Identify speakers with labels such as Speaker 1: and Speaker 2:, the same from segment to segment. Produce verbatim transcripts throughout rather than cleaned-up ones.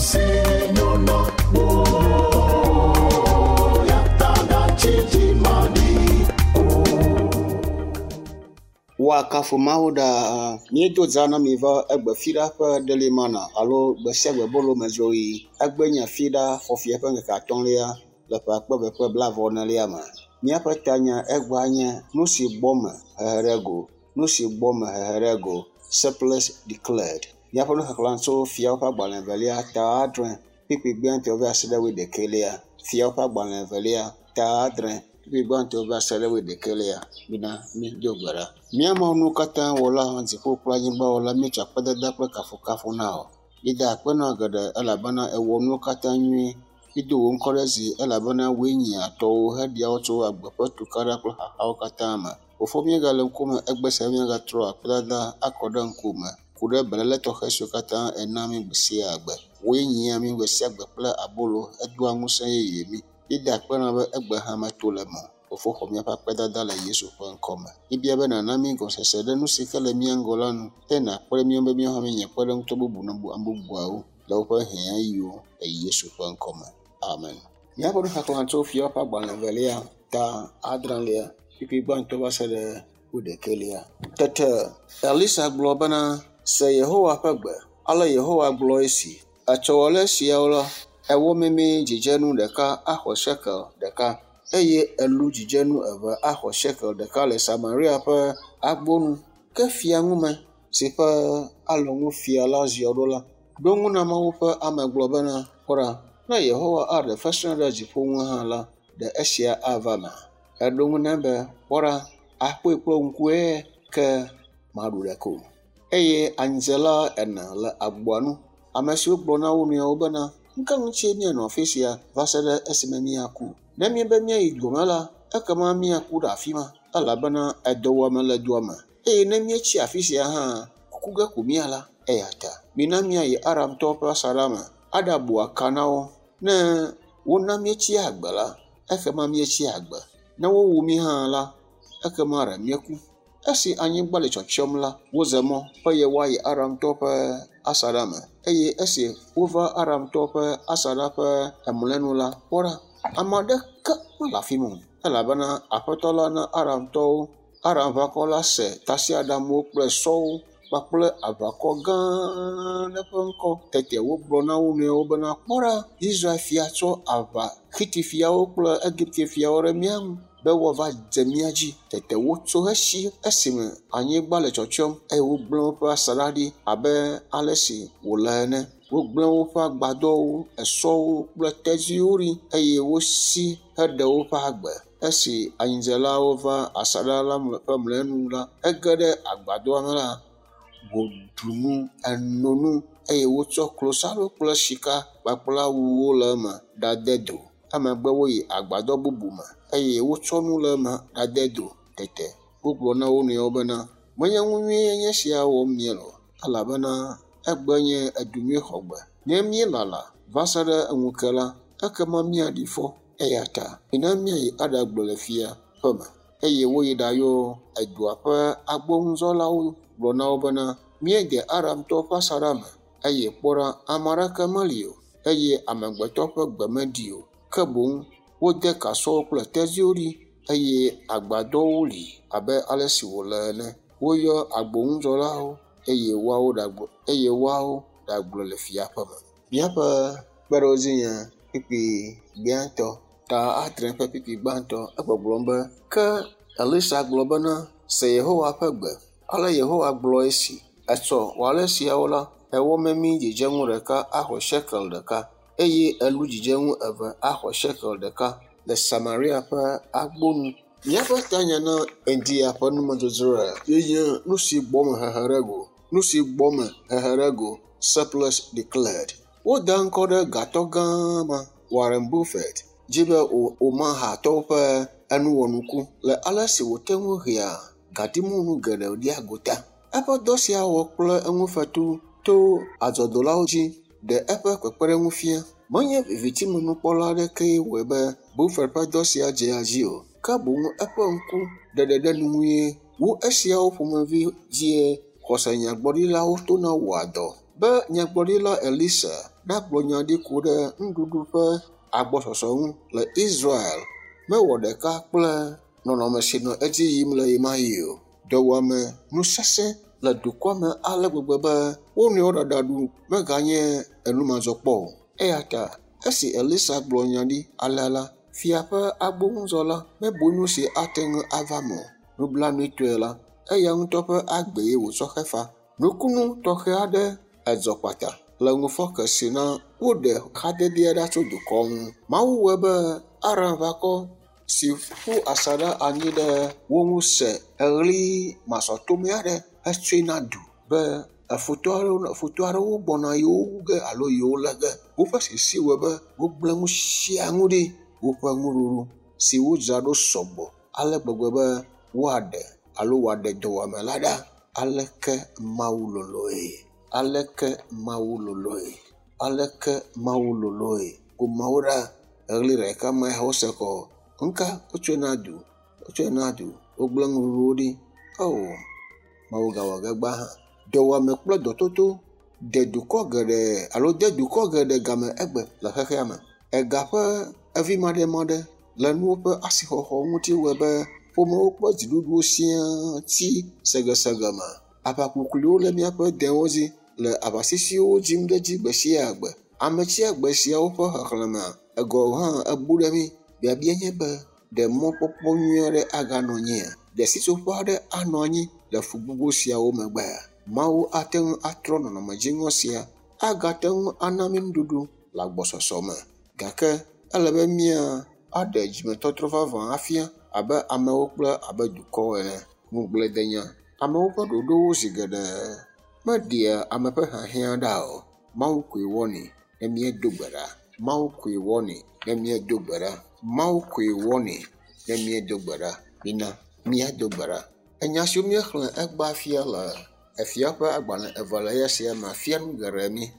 Speaker 1: si nyona wo ya ta gatsi dzimaɖi o.
Speaker 2: Woakafu Mawu ɖaa. Míedo dza na mi va egbe fiɖa ƒe delimana alo gbe sia gbe bolo me dzoɣi. Egbe nye fiɖa fɔfia ƒe ŋkeke atɔ̃lia le ƒe akpe eve kple blaeve enelia me. Míaƒe tanya egbea nye nu si gbɔ me hehe ɖe go. Nu si gbɔ me hehe ɖe go. Surplus declared. Míaƒe nuxexlẽ tso fiawo ƒe agbalẽ evelia ta adre kpukpui gbãtɔ va se ɖe wuiɖekɛlia. Fiawo ƒe agbalẽ evelia ta adre kpukpui gbãtɔ va se ɖe wuiɖekɛlia. Mina mído gbe ɖa. Mía Mawu nuwo katã wɔla, dziƒo kple anyigba wɔla, míetsɔ akpedada kple kafukafu na wò. Míeda akpe na wò geɖe elabena èwɔ nuwo katã nyuie. Mído wò ŋkɔ ɖe dzi elabena wòe nyia tɔwò heɖea wo tso agbe ƒe tukaɖa kple xaxawo katã me. Fofo míegale ŋkume egbe sia míagatrɔ akpedada akɔ ɖe ŋkume ku ɖe beléle tɔxɛ siwo katã èna mí gbe sia gbe. Wòe nyia mí gbe sia gbe kple abolo hedoa ŋusẽ yeye mí. Míeda akpe na wò be egbe hã meto le eme o. Fofo xɔ míaƒe akpedada le Yesu ƒe ŋkɔme. Míebia be nàna mí gɔmesese ɖe nu si ke le mía ŋgɔ la nu eye nàkpe ɖe mía ŋu be míawo hã míanye kpeɖeŋutɔ bubu na ame bubuawo le woƒe hiãɣiwo le Yesu ƒe ŋkɔme. Amen. Míaƒe nuxexlẽ tso fiawo ƒe agbalẽ evelia ta adrelia kpukpui gbãtɔ va se ɖe wuiɖekɛlia. Tete Elisa gblɔ bena, se Yehowa ƒe gbe. Ale Yehowa gblɔ esi, etsɔ ale siawo la, ewɔ memee dzidzenu ɖeka axɔ shekel ɖeka eye elu dzidzenu eve axɔ shekel ɖeka le Samaria ƒe agbo nu. Ke fiaŋume si ƒe alɔnu fia la ziɔ ɖo la, ɖo ŋu na Mawu ƒe ame gblɔ bena, kpɔ ɖa, ne Yehowa aɖe fesre ɖe dziƒo ŋu hã la, ɖe esia ava mea? Eɖo ŋu nɛ be, kpɔ ɖa, akpɔe kple ŋkue ke maɖu ɖeke o. Eye anyidzela ene le agboa nu, ame siwo gblɔ na wo nɔewo bena, nu ka ŋutie míanɔ afi sia va se ɖe esime míaku? Ne míebe míayi dua me la, ekema míaku ɖe afi ma elabena edɔwɔame le dua me. Eye ne míetsi afi sia hã, kuku ge ko míala. Eya ta mina míayi Aramtɔwo ƒe asaɖa me aɖabu aka na wo. Ne wona míetsi agbe la, ekema míetsi agbe. Ne wowu mí hã la, ekema ɖe míeku. Esi anyigba le tsyɔtsyɔm la, woze mɔ be yewoayi Aramtɔwo ƒe asaɖa me. Eye esi wova Aramtɔwo ƒe asaɖa ƒe emlɔenu la, kpɔ ɖa, ame aɖeke mele afi ma o elabena Aƒetɔ la na Aramtɔwo, Aramʋakɔ la se tasiaɖamwo kple sɔwo kpakple aʋakɔ gã aɖe ƒe ŋkɔ. Tete wogblɔ na wo nɔewo bena, kpɔ ɖa, Israel fia tsɔ aʋa Xiti fiawo kple Egipte fiawo ɖe mía ŋu be woava dze mía dzi. Tete wotso hesi esime anyigba le tsyɔtsyɔm eye wogblẽ woƒe asaɖa ɖi abe ale si wòle ene. Wogblẽ woƒe agbadɔwo, esɔwo kple tedziwo ɖi eye wosi heɖe woƒe agbe. Esi anyidzelawo va asaɖa la ƒe mlɔenu la, ege ɖe agbadɔa me la, wòɖu nu, eno nu eye wotsɔ klosalo kple sika kpakple awuwo le eme ɖade do. Emegbe woyi agbadɔ bubu me eye wotsɔ nu le eme ɖade do. Tete wogblɔ na wo nɔewo bena, menye nu nyuie nye esia wɔm míele o elabena egbe nye edu nyui xɔgbe. Ne míelala va se ɖe ŋu ke la, ekema míaɖi fɔ. Eya ta mina míayi aɖagblɔ le fia ƒe me. Eye woyi ɖayɔ edua ƒe agbonudzɔlawo gblɔ na wo bena, míede Aramtɔwo ƒe asaɖa me eye kpɔ ɖa, ame aɖeke meli o eye amegbetɔ ƒe gbe meɖi o. Ke boŋ wode kasɔwo kple tedziwo ɖi eye agbadɔwo li abe ale si wòle ene. Woyɔ agbonudzɔlawo eye woawo ɖagblɔ eye woawo ɖagblɔ le fia ƒe me. Míaƒe kpeɖodzi nye kpukpui gbãtɔ ta adre ƒe kpukpui gbãtɔ egbɔgblɔm be ke Elisa gblɔ bena, se Yehowa ƒe gbe. Ale Yehowa gblɔ esi, etsɔ wɔ ale siawo la, ewɔ memee dzidzenu ɖeka axɔ shekel ɖeka eye elu dzidzenu eve axɔ shekel ɖeka le Samaria ƒe agbo nu. Míaƒe tanya na ŋdi ya ƒe numedzodzroa ye nye nu si gbɔ me hehe ɖe go. Nu si gbɔ me hehe ɖe go. Surplus declared. Woda ŋkɔ ɖe gatɔ gã ma Warren Buffett dzi be Omahatɔwo ƒe enuwɔnuku le ale si wòte ŋu hea gadimɔnu geɖe ɖia gota. Eƒe dɔ sia wɔ kple eŋufetu to adzɔdolawo dzi ɖe eƒe kpekpeɖeŋu fia. Menye vivitimenukpɔla aɖekee wɔe be Buffett ƒe dɔ sia dzea dzi o, ke boŋ eƒe ŋku ɖeɖe ɖe nu ŋue wu esiawo ƒomevi dzie xɔsenyagblɔɖilawo tona wɔa dɔ Be nyagblɔɖila Elisa nagblɔ nya ɖi ku ɖe nuɖuɖu ƒe agbɔsɔsɔ ŋu le Israel mewɔ ɖeka kple nɔnɔme si nɔ edzi yim le ɣemaɣi o. Dɔwuame nu sesẽ le dukɔa me ale gbegbe be wo nɔewo ɖaɖa ɖu meganye enumadzɔkpɔ o. Eya ta esi Elisa gblɔ nya ɖi alea la, fia ƒe agboŋudzɔla mebu nu si ate ŋu ava eme o. Nublanuitɔe la, eya ŋutɔ ƒe agbee wòtsɔ xe fa. Nukunu tɔxɛ aɖe edzɔ kpata le ŋufɔke si na woɖe xadedea ɖa tso dukɔ ŋu. Mawu wɔe be Aramʋakɔ si ƒu asaɖa anyi ɖe wo ŋu se eɣli masɔtome aɖe hetsɔe na du be efutɔ aɖewo futɔ aɖewo gbɔna yewo wu ge alo yewo lé ge. Woƒe sisi wɔe be wogblẽ nu sia nu ɖi. Woƒe nuɖuɖu si wodzra ɖo sɔgbɔ ale gbegbe be woaɖe alo wòaɖe dɔwuame la ɖa. Aleke Mawu loloe? Aleke Mawu loloe? Aleke Mawu loloe? Ko Mawu ɖa eɣli ɖeka ma ya wose kɔ. Ŋka wotsɔe na du, wotsɔe na du, wogblẽ nuɖuɖuwo ɖi. O, Mawu gawɔ ge gbã hã. Dɔwuame kple dɔtoto de dukɔ geɖe alo de dukɔ geɖe game egbe le xexea me. Ega ƒe evi maɖemaɖe le nuwo ƒe asixɔxɔ ŋuti wɔe be ƒomewo kple dziɖuɖuwo siaa tsi segesege me. Aʋakukluiwo le míaƒe dewo dzi le aʋasisiwo dzim ɖe edzi gbe sia gbe. Ame tsia gbe siawo ƒe xexlẽme egɔ hã ebu ɖe mí. Biabia nye be ɖe mɔkpɔkpɔ nyui aɖe aganɔ anyia? Ɖe sitsoƒe aɖe anɔ anyi le fu gbogbo siawo megbea? Mawu ate ŋu atrɔ nɔnɔme dziŋɔ sia agate ŋu ana mí nuɖuɖu le agbɔsɔsɔ me. Gake ele be mía aɖe dzimetɔtrɔ vavã afia abe amewo kple abe dukɔwo ene. Ŋugbledenya. Amewo ƒe ɖoɖowo zi geɖe meɖea ame ƒe hiahiã ɖa o. Mawu koe wɔnɛ ne míedo gbe ɖa. Mawu koe wɔnɛ ne míedo gbe ɖa. Mawu koe wɔnɛ ne míedo gbe ɖa. Mina míado gbe ɖa. Enya siwo míexlẽ egbea fia le efia ƒe agbalẽ evelia sia me fia nu geɖe mí.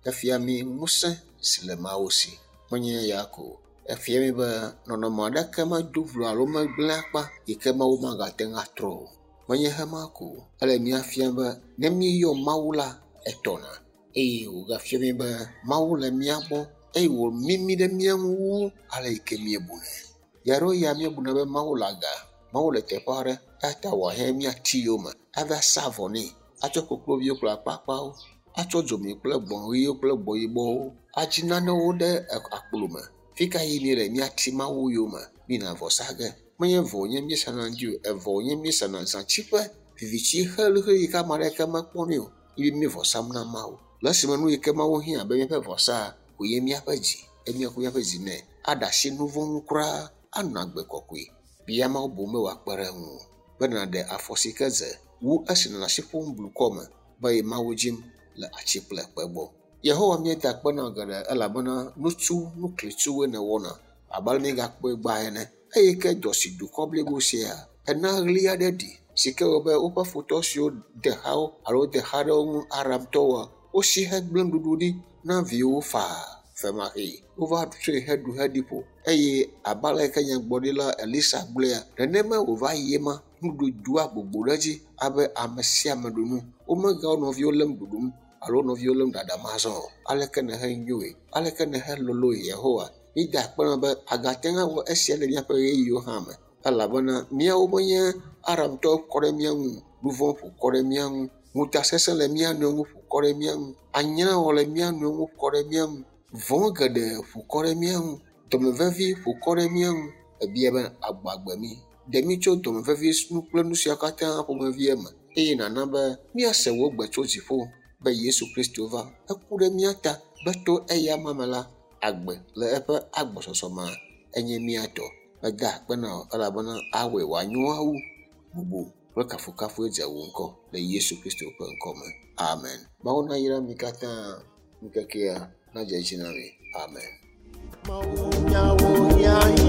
Speaker 2: Efia mí ŋusẽ si le Mawu si. Menye ya ko o. Efia mí be nɔnɔme aɖeke medo vlo alo megblẽ akpa yi ke Mawu magate ŋu atrɔ o. Menye hema ko o. Ele mía fiam be ne míeyɔ Mawu la, etɔna eye wògafia mí be Mawu le mía gbɔ eye wòmimi ɖe mía ŋu wu ale yi ke míebunɛ. Ɣeaɖewoɣi ya míebuna be Mawu le aga, Mawu le teƒe aɖe eya ta wòahiã míati yome ava sa avɔ nɛ, atsɔ kokloviwo kple akpakpawo, atsɔ dzomi kple gbɔ̃ ɣiwo kple gbɔ̃ yibɔwo, adzi nanewo ɖe akplo me. Fi ka yi míele míati Mawu yome mína vɔ sa ge. Menye vɔ wònye míesana ŋdi o, evɔ wònye míesana zãtsiƒe, vivitsi xelixeli yi ke ame aɖeke mekpɔnɛ o ye mí vɔ sam na Mawu. Le esime nu yi ke Mawu hiã abe míaƒe vɔsa koe míaƒe dzi eye míaku míaƒe dzi nɛ aɖe asi nu vɔ̃ ŋu kura anɔ agbe kɔkɔe. Bia Mawu boŋ be wòakpe ɖe ŋuwò be nàɖe afɔ si ke dze wu esi nɔnɔ asi ƒom blukɔ me be ye Mawu dzim le atsi kple kpe gbɔ. Yehowa míeda akpe na geɖe elabena nutsu nuklitsuwoe nèwɔna abe ale míegakpɔe gbã ene. Eye ke dɔ si dukɔ blibo sia ena ɣli aɖe ɖi si ke wɔ be woƒe futɔ siwo de xa wo alo de xa ɖe wo ŋu Aramtɔwoa, wosi hegblẽ nuɖuɖu ɖi na viwo faa femaxee. Wova tsɔe heɖu heɖi ƒo eye abe ale ke nyagblɔɖila Elisa gblɔea, nenema wòva yi ema nuɖuɖu doa gbogbo ɖe edzi abe ame sia ame ɖu nu. Womegawɔ nɔviwo lém ɖuɖum alo nɔviwo lém ɖaɖam azɔ o. Aleke nèhe nyoe? Aleke nèhe loloe Yehowa? Mída akpe na be agate ŋu awɔ esia le míaƒe ɣeyiɣiwo hã me elabena míawo menye Aramtɔwo kɔ ɖe mía ŋu, nu vɔ̃ ƒo kɔ ɖe mía ŋu, ŋutasesẽ le mía nɔewo ŋu ƒo kɔ ɖe mía ŋu, anyrawɔ le mía nɔewo ŋu kɔ ɖe mía ŋu, vɔ̃ geɖe ƒo kɔ ɖe mía ŋu, dɔmevevi ƒo kɔ ɖe mía ŋu. Ebia be agbɔ agbe mí. Ɖe mí tso dɔmevevi nu kple nu siawo katã ƒomevi me eye nàna be míase wò gbe tso dziƒo be Yesu Kristo va. Eku ɖe mía ta be to eya me la, agbe le eƒe agbɔsɔsɔ me enye mía tɔ. Meda akpe na wò elabena awɔe wòanyo awu bubu kple kafukafue dze wò ŋkɔ le Yesu Kristo ƒe ŋkɔ me. Amen. Mawu nayra mi katã ŋkekea nadze edzi na mi. Amen.
Speaker 1: Mawu nyawo hiã.